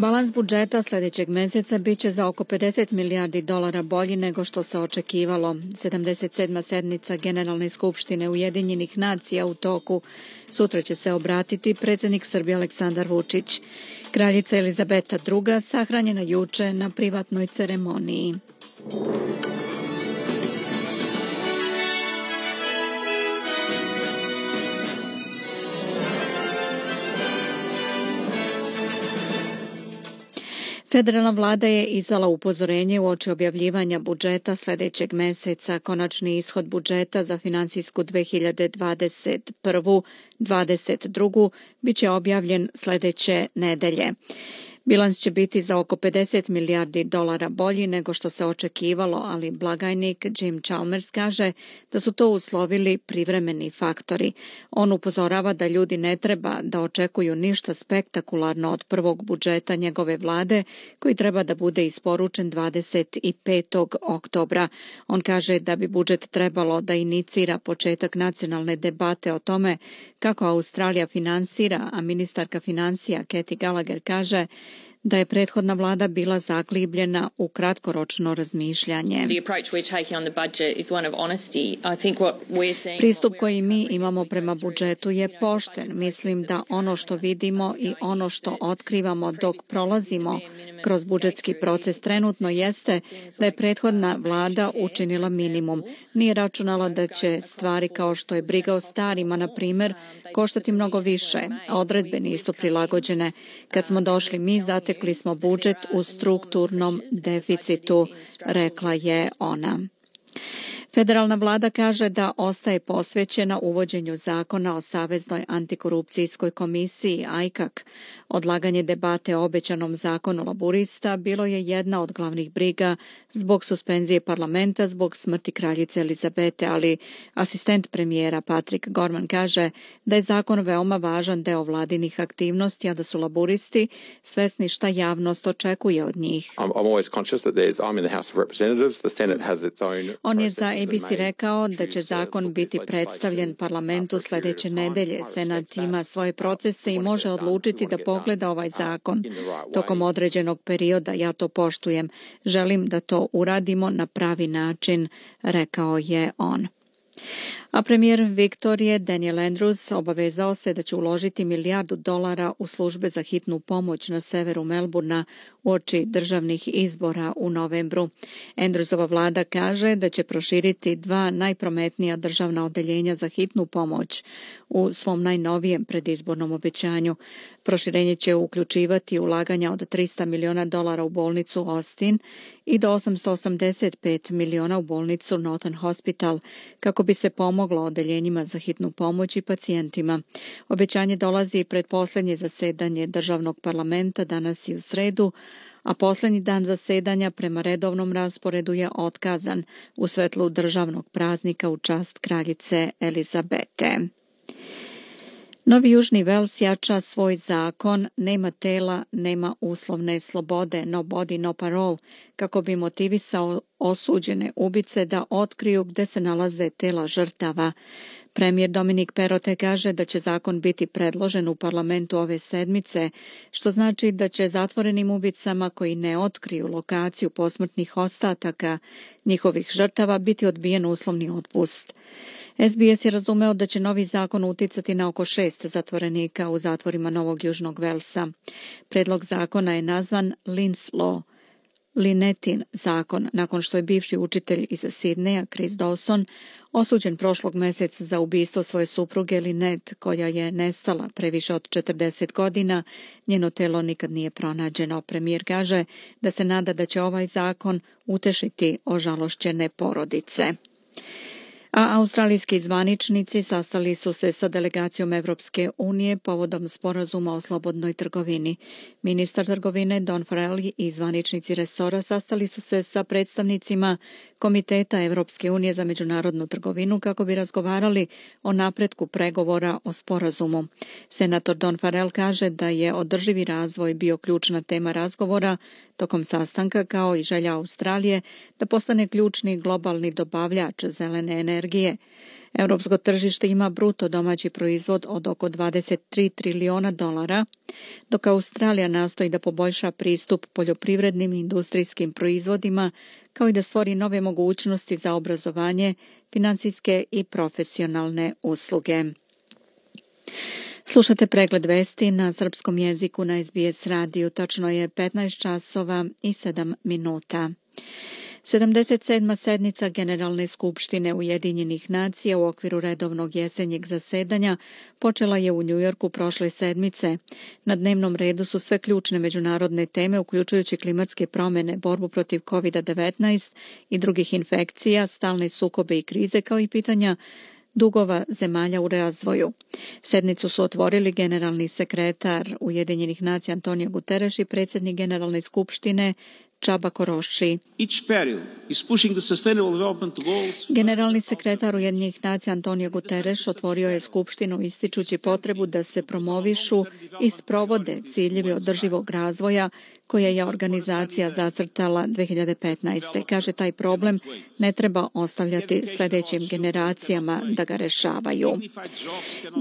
Balans budžeta sljedećeg mjeseca bit će za oko 50 milijardi dolara bolji nego što se očekivalo. 77. sednica Generalne skupštine Ujedinjenih nacija u toku. Sutra će se obratiti predsjednik Srbije Aleksandar Vučić. Kraljica Elizabeta II. Sahranjena juče na privatnoj ceremoniji. Federalna vlada je izdala upozorenje uoči objavljivanja budžeta sljedećeg mjeseca. Konačni ishod budžeta za finansijsku 2021-2022 bit će objavljen sljedeće nedelje. Bilans će biti za oko 50 milijardi dolara bolji nego što se očekivalo, ali blagajnik Jim Chalmers kaže da su to uslovili privremeni faktori. On upozorava da ljudi ne treba da očekuju ništa spektakularno od prvog budžeta njegove vlade, koji treba da bude isporučen 25. oktobra. On kaže da bi budžet trebalo da inicira početak nacionalne debate o tome kako Australija finansira, a ministarka financija Kathy Gallagher kaže da je prethodna vlada bila zaglibljena u kratkoročno razmišljanje. Pristup koji mi imamo prema budžetu je pošten. Mislim da ono što vidimo i ono što otkrivamo dok prolazimo kroz budžetski proces trenutno jeste da je prethodna vlada učinila minimum. Nije računala da će stvari kao što je briga o starima, na primjer, koštati mnogo više. Odredbe nisu prilagođene. Kad smo došli mi, zatekli smo budžet u strukturnom deficitu, rekla je ona. Federalna vlada kaže da ostaje posvećena uvođenju zakona o Saveznoj antikorupcijskoj komisiji AICAC. Odlaganje debate o obećanom zakonu laburista bilo je jedna od glavnih briga zbog suspenzije parlamenta zbog smrti kraljice Elizabete, ali asistent premijera Patrick Gorman kaže da je zakon veoma važan deo vladinih aktivnosti, a da su laburisti svesni šta javnost očekuje od njih. On je za ABC rekao da će zakon biti predstavljen parlamentu sljedeće nedelje. Senat ima svoje procese i može odlučiti da pogleda ovaj zakon tokom određenog perioda. Ja to poštujem. Želim da to uradimo na pravi način, rekao je on. A premijer Viktorije Daniel Andrews obavezao se da će uložiti $1 milijardu u službe za hitnu pomoć na severu Melburna uoči državnih izbora u novembru. Andrewsova vlada kaže da će proširiti 2 najprometnija državna odeljenja za hitnu pomoć u svom najnovijem predizbornom obećanju. Proširenje će uključivati ulaganja od $300 miliona u bolnicu Austin i do $885 miliona u bolnicu Northern Hospital, kako bi se pomoglo odeljenjima za hitnu pomoć i pacijentima. Obećanje dolazi pred posljednje zasedanje državnog parlamenta danas i u sredu, a posljednji dan zasedanja prema redovnom rasporedu je otkazan u svetlu državnog praznika u čast kraljice Elizabete. Novi Južni Vels jača svoj zakon nema tela, nema uslovne slobode, no body, no parole, kako bi motivisao osuđene ubice da otkriju gde se nalaze tela žrtava. Premijer Dominik Perrottet kaže da će zakon biti predložen u parlamentu ove sedmice, što znači da će zatvorenim ubicama koji ne otkriju lokaciju posmrtnih ostataka njihovih žrtava biti odbijen uslovni otpust. SBS je razumeo da će novi zakon uticati na oko 6 zatvorenika u zatvorima Novog Južnog Velsa. Predlog zakona je nazvan Lynn's Law, Lynettin zakon, nakon što je bivši učitelj iz Sidneja, Chris Dawson, osuđen prošlog mjeseca za ubistvo svoje supruge Lynette, koja je nestala pre više od 40 godina. Njeno telo nikad nije pronađeno. Premijer kaže da se nada da će ovaj zakon utešiti ožalošćene porodice. A australijski zvaničnici sastali su se sa delegacijom Evropske unije povodom sporazuma o slobodnoj trgovini. Ministar trgovine Don Farrell i zvaničnici resora sastali su se sa predstavnicima Komiteta Evropske unije za međunarodnu trgovinu kako bi razgovarali o napretku pregovora o sporazumu. Senator Don Farrell kaže da je održivi razvoj bio ključna tema razgovora tokom sastanka, kao i želja Australije da postane ključni globalni dobavljač zelene energije. Europsko tržište ima bruto domaći proizvod od oko 23 trilijuna dolara, dok Australija nastoji da poboljša pristup poljoprivrednim i industrijskim proizvodima, kao i da stvori nove mogućnosti za obrazovanje, finansijske i profesionalne usluge. Slušate pregled vesti na srpskom jeziku na SBS radiju. Tačno je 15 časova i 7 minuta. 77. sednica Generalne skupštine Ujedinjenih nacija u okviru redovnog jesenjeg zasedanja počela je u Njujorku prošle sedmice. Na dnevnom redu su sve ključne međunarodne teme, uključujući klimatske promjene, borbu protiv COVID-19 i drugih infekcija, stalne sukobe i krize, kao i pitanja dugova zemalja u razvoju. Sednicu su otvorili generalni sekretar Ujedinjenih nacija Antonio Guterres i predsjednik Generalne skupštine Csaba Koroši. Generalni sekretar Ujedinjenih nacija Antonio Guterres otvorio je skupštinu ističući potrebu da se promovišu i sprovode ciljevi održivog razvoja koje je organizacija zacrtala 2015. Kaže, taj problem ne treba ostavljati sljedećim generacijama da ga rešavaju.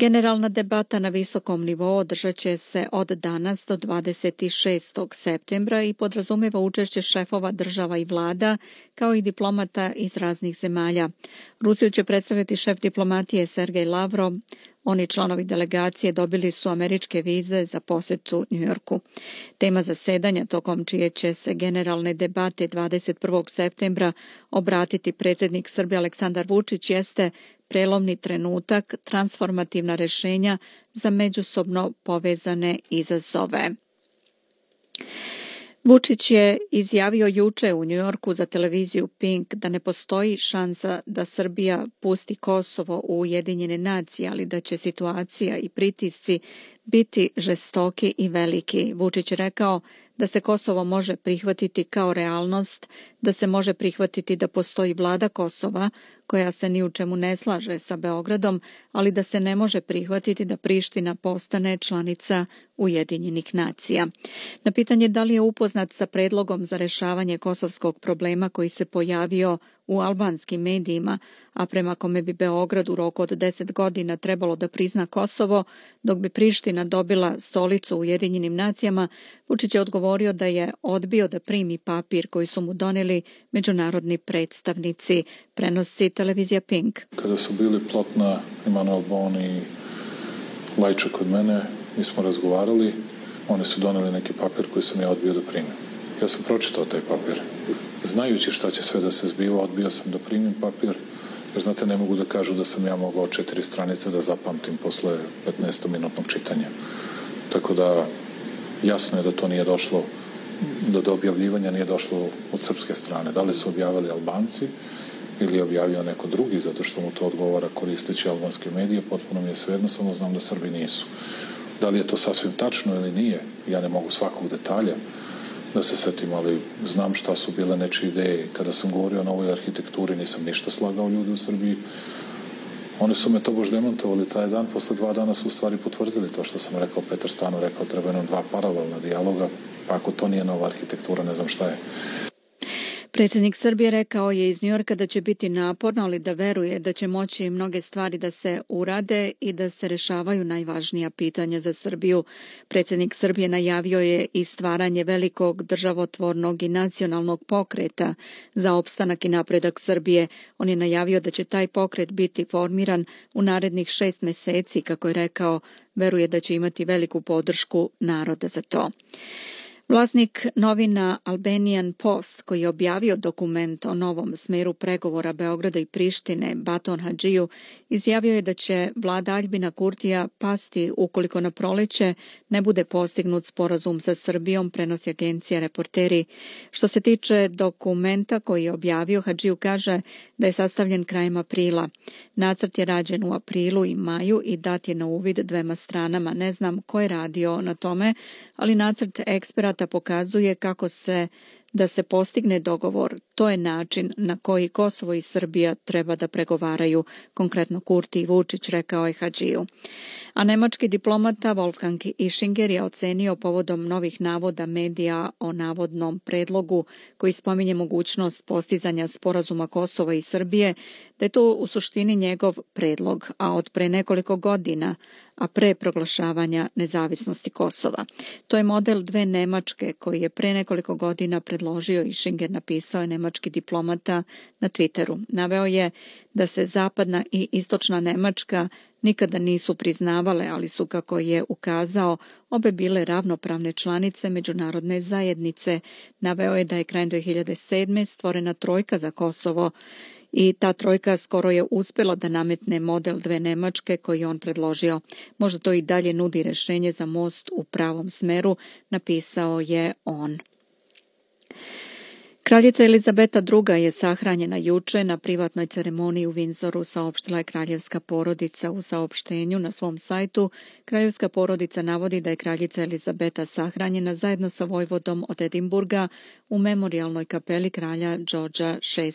Generalna debata na visokom nivou održat će se od danas do 26. septembra i podrazumijeva učešće šefova država i vlada, kao i diplomata iz raznih zemalja. Rusiju će predstaviti šef diplomatije Sergej Lavrov. Oni članovi delegacije dobili su američke vize za posjetu Njujorku. Tema zasedanja tokom čije će se generalne debate 21. septembra obratiti predsjednik Srbije Aleksandar Vučić jeste prelomni trenutak, transformativna rješenja za međusobno povezane izazove. Vučić je izjavio juče u Njujorku za televiziju Pink da ne postoji šansa da Srbija pusti Kosovo u Ujedinjene nacije, ali da će situacija i pritisci biti žestoki i veliki. Vučić je rekao da se Kosovo može prihvatiti kao realnost, da se može prihvatiti da postoji vlada Kosova koja se ni u čemu ne slaže sa Beogradom, ali da se ne može prihvatiti da Priština postane članica Ujedinjenih nacija. Na pitanje da li je upoznat sa predlogom za rješavanje kosovskog problema koji se pojavio u albanskim medijima, a prema kome bi Beograd u roku od 10 godina trebalo da prizna Kosovo, dok bi Priština dobila stolicu u Ujedinjenim nacijama, Vučić je odgovorio da je odbio da primi papir koji su mu doneli međunarodni predstavnici, prenosi televizija Pink. Kada su bili Plotna, Emanuel Bon i Lajča kod mene, mi smo razgovarali, oni su doneli neki papir koji sam ja odbio da primim. Ja sam pročitao taj papir. Znajući šta će sve da se zbiva, odbio sam da primim papir, jer znate, ne mogu da kažu da sam ja mogao 4 stranice da zapamtim posle 15-minutnog čitanja. Tako da jasno je da to nije došlo, da do objavljivanja nije došlo od srpske strane. Da li su objavili Albanci ili je objavio neko drugi, zato što mu to odgovara koristeći albanske medije, potpuno mi je svejedno, samo znam da Srbi nisu. Da li je to sasvim tačno ili nije, ja ne mogu svakog detalja da se setim, ali znam šta su bile nečije ideje. Kada sam govorio o novoj arhitekturi, nisam ništa slagao ljudi u Srbiji. Oni su me to bož demontovali taj dan, posle 2 dana su u stvari potvrdili to što sam rekao. Petar Stano rekao, treba nam 2 paralelna dijaloga, pa ako to nije nova arhitektura, ne znam šta je. Predsjednik Srbije rekao je iz Njujorka da će biti naporno, ali da veruje da će moći mnoge stvari da se urade i da se rešavaju najvažnija pitanja za Srbiju. Predsjednik Srbije najavio je i stvaranje velikog državotvornog i nacionalnog pokreta za opstanak i napredak Srbije. On je najavio da će taj pokret biti formiran u narednih 6 mjeseci, kako je rekao, veruje da će imati veliku podršku naroda za to. Vlasnik novina Albanian Post, koji je objavio dokument o novom smeru pregovora Beograda i Prištine, Baton Hadžiju, izjavio je da će vlada Aljbina Kurtija pasti ukoliko na proleće ne bude postignut sporazum sa Srbijom, prenosi agencija Reporteri. Što se tiče dokumenta koji je objavio, Hadžiju kaže da je sastavljen krajem aprila. Nacrt je rađen u aprilu i maju i dat je na uvid 2 stranama. Ne znam ko je radio na tome, ali nacrt eksperata pokazuje kako se da se postigne dogovor, to je način na koji Kosovo i Srbija treba da pregovaraju, konkretno Kurti i Vučić, rekao je Hadžiju. A nemački diplomata Wolfgang Ischinger je ocenio povodom novih navoda medija o navodnom predlogu koji spominje mogućnost postizanja sporazuma Kosova i Srbije, da je to u suštini njegov predlog, a od pre nekoliko godina, a pre proglašavanja nezavisnosti Kosova. To je model dve Nemačke koji je pre nekoliko godina predložio Ischinger, napisao je nemački diplomata na Twitteru. Naveo je da se zapadna i istočna Nemačka nikada nisu priznavale, ali su, kako je ukazao, obe bile ravnopravne članice međunarodne zajednice. Naveo je da je krajem 2007. stvorena trojka za Kosovo i ta trojka skoro je uspjela da nametne model dve Nemačke koji je on predložio. Možda to i dalje nudi rješenje za most u pravom smeru, napisao je on. Kraljica Elizabeta II. Je sahranjena juče na privatnoj ceremoniji u Windsoru, saopštila je kraljevska porodica u saopštenju na svom sajtu. Kraljevska porodica navodi da je kraljica Elizabeta sahranjena zajedno sa vojvodom od Edinburga u memorijalnoj kapeli kralja Georgea VI.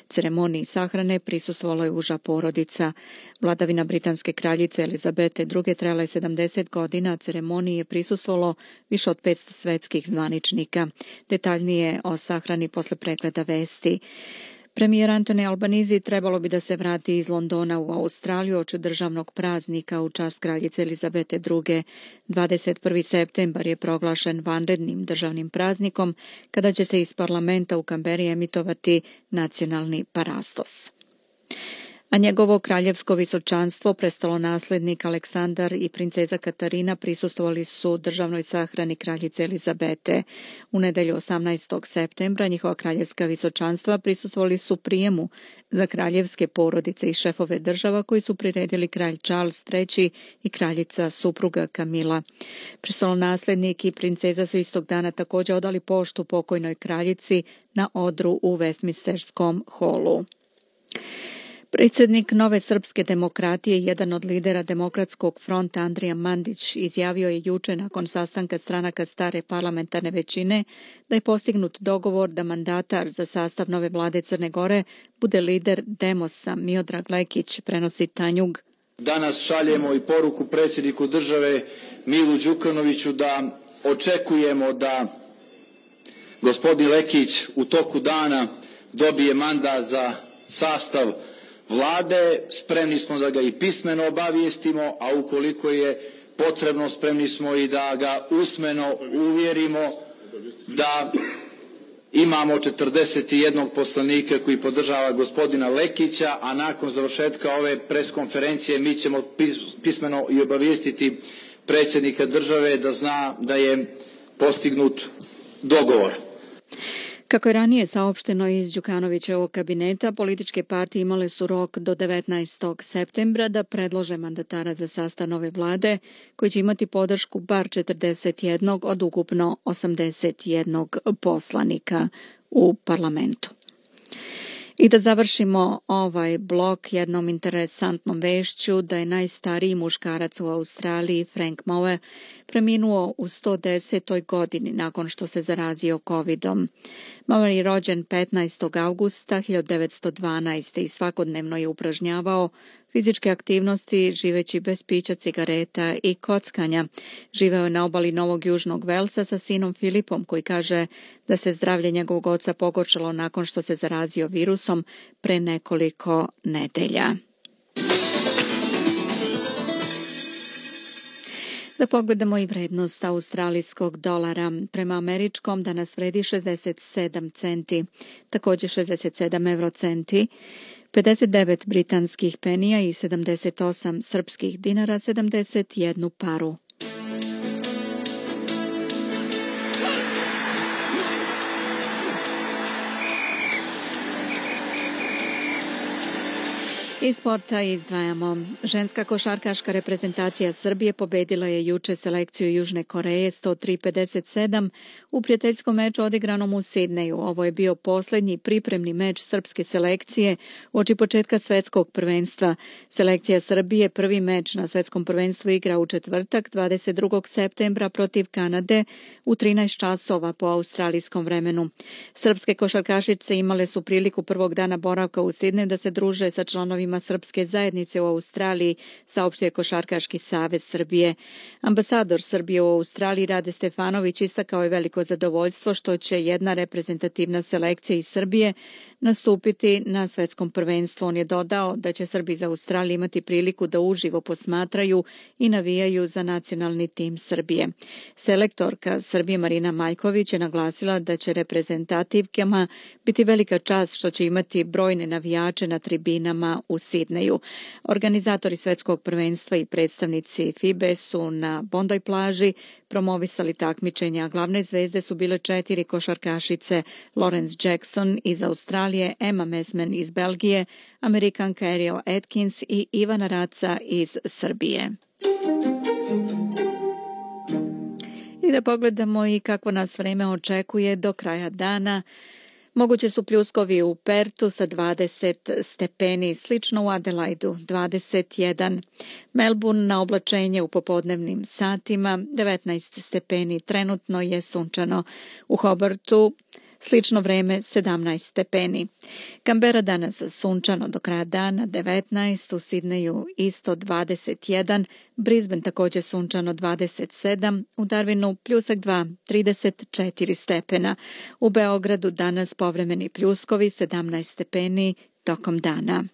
Ceremoniji sahrane prisustvovala je uža porodica. Vladavina britanske kraljice Elizabete II. Trajala je 70 godina, a ceremoniji je prisustvovalo više od 500 svetskih zvaničnika. Detaljnije o sahrani posle pregleda vesti. Premijer Anthony Albanese trebalo bi da se vrati iz Londona u Australiju oči državnog praznika u čast kraljice Elizabete II. 21. septembar je proglašen vanrednim državnim praznikom kada će se iz parlamenta u Kamberi emitovati nacionalni parastos. A njegovo kraljevsko visočanstvo, prestolonaslednik Aleksandar i princeza Katarina prisustvovali su državnoj sahrani kraljice Elizabete. U nedelju 18. septembra njihova kraljevska visočanstva prisustvovali su prijemu za kraljevske porodice i šefove država koji su priredili kralj Charles III. I kraljica supruga Kamila. Prestolonaslednik i princeza su istog dana također odali poštu pokojnoj kraljici na odru u Westminsterskom holu. Predsjednik Nove srpske demokratije, jedan od lidera Demokratskog fronta Andrija Mandić, izjavio je juče nakon sastanka stranaka stare parlamentarne većine da je postignut dogovor da mandatar za sastav nove vlade Crne Gore bude lider Demosa Miodrag Lekić, prenosi Tanjug. Danas šaljemo i poruku predsjedniku države Milu Đukanoviću da očekujemo da gospodin Lekić u toku dana dobije mandat za sastav vlade. Spremni smo da ga i pismeno obavijestimo, a ukoliko je potrebno spremni smo i da ga usmeno uvjerimo da imamo 41 poslanika koji podržava gospodina Lekića, a nakon završetka ove preskonferencije mi ćemo pismeno i obavijestiti predsjednika države da zna da je postignut dogovor. Kako je ranije saopšteno iz Đukanovićevog kabineta, političke partije imale su rok do 19. septembra da predlože mandatara za sastav nove vlade, koji će imati podršku bar 41 od ukupno 81 poslanika u parlamentu. I da završimo ovaj blok jednom interesantnom vešću da je najstariji muškarac u Australiji, Frank Moe, preminuo u 110. godini nakon što se zarazio COVID-om. Moe je rođen 15. augusta 1912. i svakodnevno je upražnjavao fizičke aktivnosti živeći bez pića, cigareta i kockanja. Živeo je na obali Novog Južnog Velsa sa sinom Filipom, koji kaže da se zdravlje njegovog oca pogoršalo nakon što se zarazio virusom pre nekoliko nedelja. Da pogledamo i vrednost australijskog dolara. Prema američkom danas vredi 67 centi, također 67 eurocenti, 59 britanskih penija i 78 srpskih dinara, 71 paru. Iz sporta izdvajamo. Ženska košarkaška reprezentacija Srbije pobedila je juče selekciju Južne Koreje 103-57 u prijateljskom meču odigranom u Sidneju. Ovo je bio posljednji pripremni meč srpske selekcije uoči početka svetskog prvenstva. Selekcija Srbije prvi meč na svetskom prvenstvu igra u četvrtak 22. septembra protiv Kanade u 13 časova po australijskom vremenu. Srpske košarkašice imale su priliku prvog dana boravka u Sidneju da se druže sa članovima srpske zajednice u Australiji, saopštio je Košarkaški savez Srbije. Ambasador Srbije u Australiji Rade Stefanović istakao je veliko zadovoljstvo što će jedna reprezentativna selekcija iz Srbije nastupiti na svetskom prvenstvu. On je dodao da će Srbi iz Australije imati priliku da uživo posmatraju i navijaju za nacionalni tim Srbije. Selektorka Srbije Marina Maljković je naglasila da će reprezentativkama biti velika čast što će imati brojne navijače na tribinama u Sidneju. Organizatori svetskog prvenstva i predstavnici FIBE su na Bondoj plaži promovisali takmičenja. Glavne zvezde su bile 4 košarkašice: Lawrence Jackson iz Australije, Emma Mesman iz Belgije, Amerikanka Ariel Atkins i Ivana Raca iz Srbije. I da pogledamo i kako nas vreme očekuje do kraja dana. Moguće su pljuskovi u Pertu sa 20 stepeni, slično u Adelaidu 21. Melbourne na oblačenje u popodnevnim satima 19 stepeni, trenutno je sunčano. U Hobartu slično vreme 17 stepeni. Canberra danas sunčano do kraja dana 19, u Sidneju isto 21, Brisbane također sunčano 27, u Darwinu pljusak 2, 34 stepena. U Beogradu danas povremeni pljuskovi 17 stepeni tokom dana.